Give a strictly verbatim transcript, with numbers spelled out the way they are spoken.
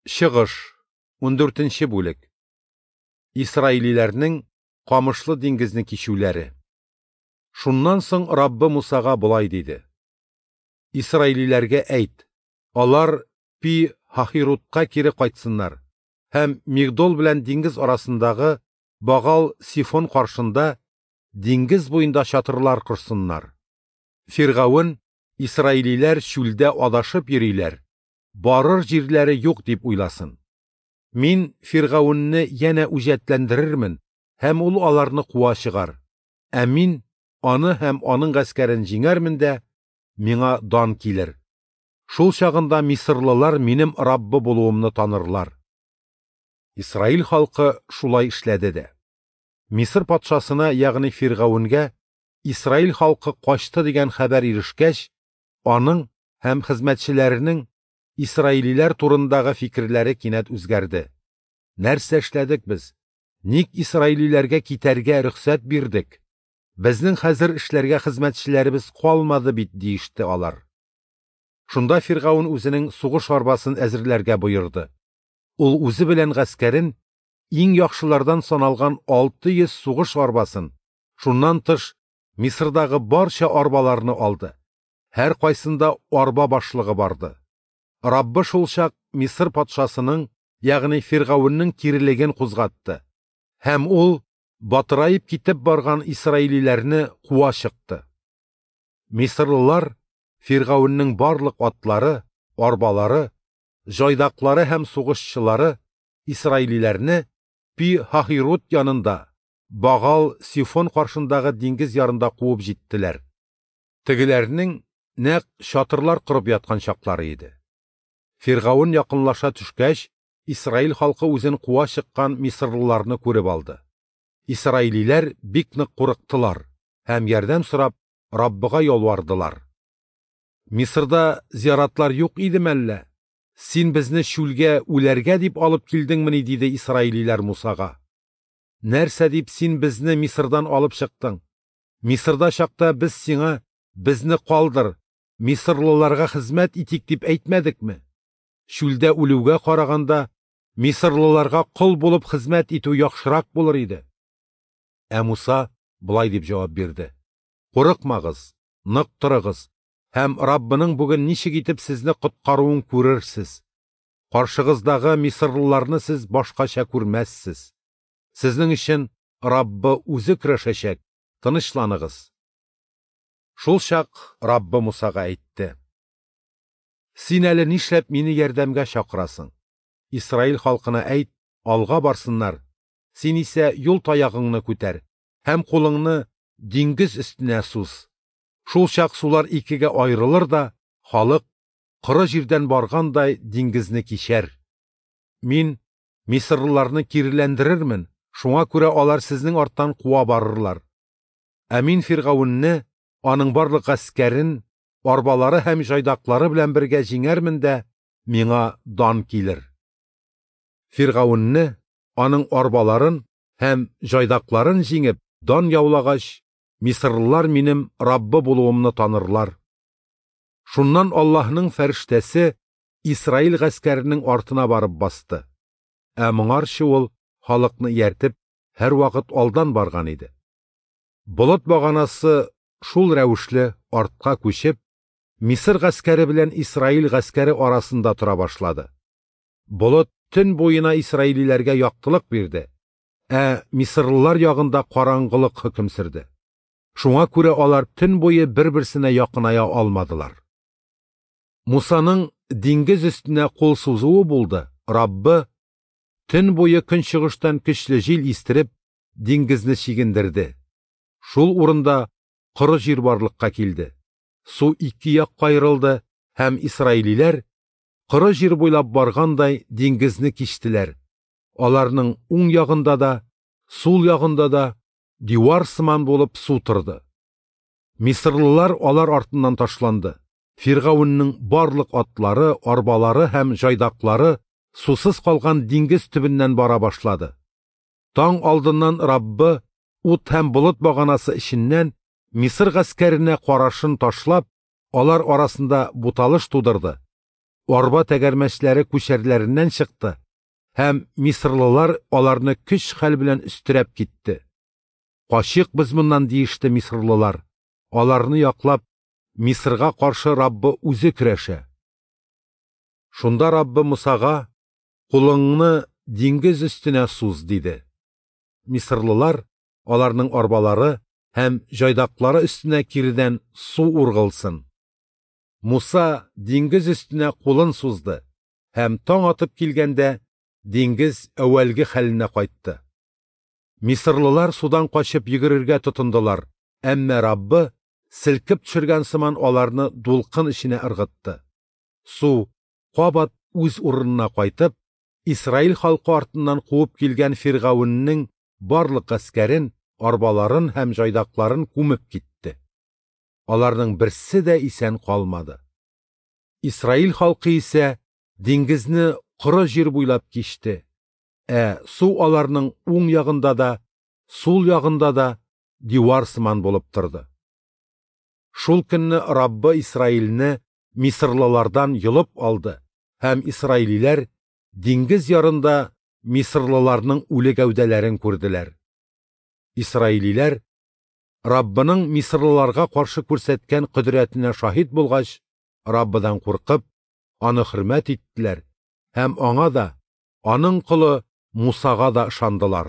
Чыгыш, ундүртенче бүлек. Исраилиләрнең Камышлы диңгезне кичүләре. Шуннан соң Раббы Мусага болай диде: Исраилиләргә әйт, алар Пи-Һахирутка кире кайтсыннар һәм Мигдол белән диңгез арасындагы Багал-Сифон каршында диңгез буенда чатырлар корсыннар. Фиргавен, исраилиләр чүлдә адашып йөриләр, барыр җирләре юк дип уйласын. Мин Фиргавенне янә үҗәтләндерермен, һәм ул аларны куа чыгар. Ә мин аны һәм аның гаскәрен җиңәрмен дә, миңа дан килер. Шул чагында мисырлылар минем Раббы булуымны танырлар. Исраил халкы шулай эшләде дә. Мисыр патшасына, ягъни Фиргавенгә, Исраил халкы качты дигән хәбәр ирешкәч, аның һәм хезмәтчеләренең исраилиләр турындагы фикерләре кинәт үзгәрде. Нәрсә эшләдек без? Ник исраилиләргә китәргә рөхсәт бирдек? Безнең хәзер эшләргә хезмәтчеләребез калмады бит, диеште алар. Шунда Фиргавен үзенең сугыш арбасын әзерләргә боерды. Ул үзе белән гаскәрен иң яхшылардан саналган алты йөз сугыш арбасын, шуннан тыш Мисырдагы барча арбаларны алды. Һәр кайсында арба башлыгы барды. Раббы шул чак Мисыр патшасының, ягъни Фиргавеннең кирелеген кузгатты. Һәм ул батыраеп китеп барган исраилиләрне куа чыкты. Мисырлылар Фиргавеннең барлык атлары, арбалары, җайдаклары һәм сугышчылары исраилиләрне Пи-Һахирут янында, Багал-Сифон каршындагы диңгез ярында куып җиттеләр. Тегеләрнең нәкъ чатырлар корып яткан чаклары иде. Фиргавен якынлаша төшкәч, Исраил халкы үзен куа чыккан мисырлыларны күреп алды. Исраилиләр бик нык курыктылар һәм ярдәм сорап Раббыга ялвардылар. Мисырда зияратлар юк идеме әллә? Син безне чүлгә үләргә дип алып килдеңмени, диде исраилиләр Мусага. Нәрсә дип син безне Мисырдан алып чыктың? Мисырда чакта без сиңа безне калдыр, мисырлыларга хезмәт итик дип әйтмәдекме? Чүлдә үлүгә караганда мисырлыларга кол булып хезмәт итү яхшырак булыр иде. Ә Муса болай дип җавап бирде: Курыкмагыз, нык торыгыз һәм Раббының бүген ничек итеп сезне коткаруын күрерсез. Каршыгыздагы мисырлыларны сез башкача күрмәссез. Сезнең өчен Раббы үзе көрәшәчәк, тынычланыгыз. Шул чак Раббы Мусага әйтте: Син әле нишләп мине ярдәмгә чакырасың? Исраил халкына әйт, алга барсыннар. Син исә юл таягыңны күтәр һәм кулыңны диңгез өстенә суз. Шул чак сулар икегә аерылыр да, халык коры җирдән баргандай диңгезне кичәр. Мин мисырлыларны киреләндерермен, шуңа күрә алар сезнең арттан куа барырлар. Ә мин Фиргавенне, аның барлык гаскәрен, арбалары һәм җайдаклары белән бергә җиңәрмен дә, миңа дан килер. Фиргавенне, аның арбаларын һәм җайдакларын җиңеп, дан яулагач, мисырлылар минем Раббы булуымны танырлар. Шуннан Аллаһның фәрештәсе Исраил гаскәренең артына барып басты. Ә моңарчы ул халыкны ияртеп һәрвакыт алдан барган иде. Болыт баганасы шул рәвешле артка күчеп, Мисыр гаскәре белән Исраил гаскәре арасында тора башлады. Болыт төн буена исраилиләргә яктылык бирде, ә мисырлылар ягында караңгылык хөкем сөрде. Шуңа күрә алар төн буе бер-берсенә якыная алмадылар. Мусаның диңгез өстенә кул сузуы булды. Раббы төн буе көнчыгыштан көчле җил истереп, диңгезне чигендерде. Шул урында коры җир барлыкка килде. Су ике якка аерылды һәм исраилиләр коры җир буйлап баргандай диңгезне кичтеләр. Аларның уң ягында да, сул ягында да дивар сыман булып су торды. Мисырлылар алар артыннан ташланды. Фиргавеннең барлык атлары, арбалары һәм җайдаклары сусыз калган диңгез төбеннән бара башлады. Таң алдыннан Раббы ут һәм болыт баганасы эченнән Мисыр гаскәренә карашын ташлап, алар арасында буталыш тудырды. арба тәгәрмәчләре күчәрләреннән чыкты, һәм мисырлылар аларны көч-хәл белән өстерәп китте. «Качыйк без моннан», – диеште мисырлылар. Аларны яклап, Мисырга каршы Раббы үзе көрәшә. Шунда Раббы Мусага: «Кулыңны диңгез өстенә суз», – диде. Мисырлылар, аларның арбалары һәм җайдаклары өстенә киредән су ургылсын. Муса диңгез өстенә кулын сузды, һәм таң атып килгәндә диңгез әүвәлге хәленә кайтты. Мисырлылар судан качып йөгерергә тотындылар, әмма Раббы селкеп төшергән сыман аларны дулкын эченә ыргытты. Су кабат үз урынына кайтып, Исраил халкы артыннан куып килгән Фиргавеннең барлык гаскәрен, арбаларын һәм җайдакларын күмеп китте. Аларның берсе дә исән калмады. Исраил халкы исә диңгезне коры җир буйлап кичте, ә су аларның уң ягында да, сул ягында да дивар сыман булып торды. Шул көнне Раббы Исраилне мисырлылардан йолып алды, һәм исраилиләр диңгез ярында мисырлыларның үле гәүдәләрен күрделәр. Исраилиләр Раббының мисырлыларга каршы күрсәткән кодрәтенә шаһит булгач, Раббыдан куркып, аны хөрмәт иттеләр һәм аңа да, аның колы Мусага да ышандылар.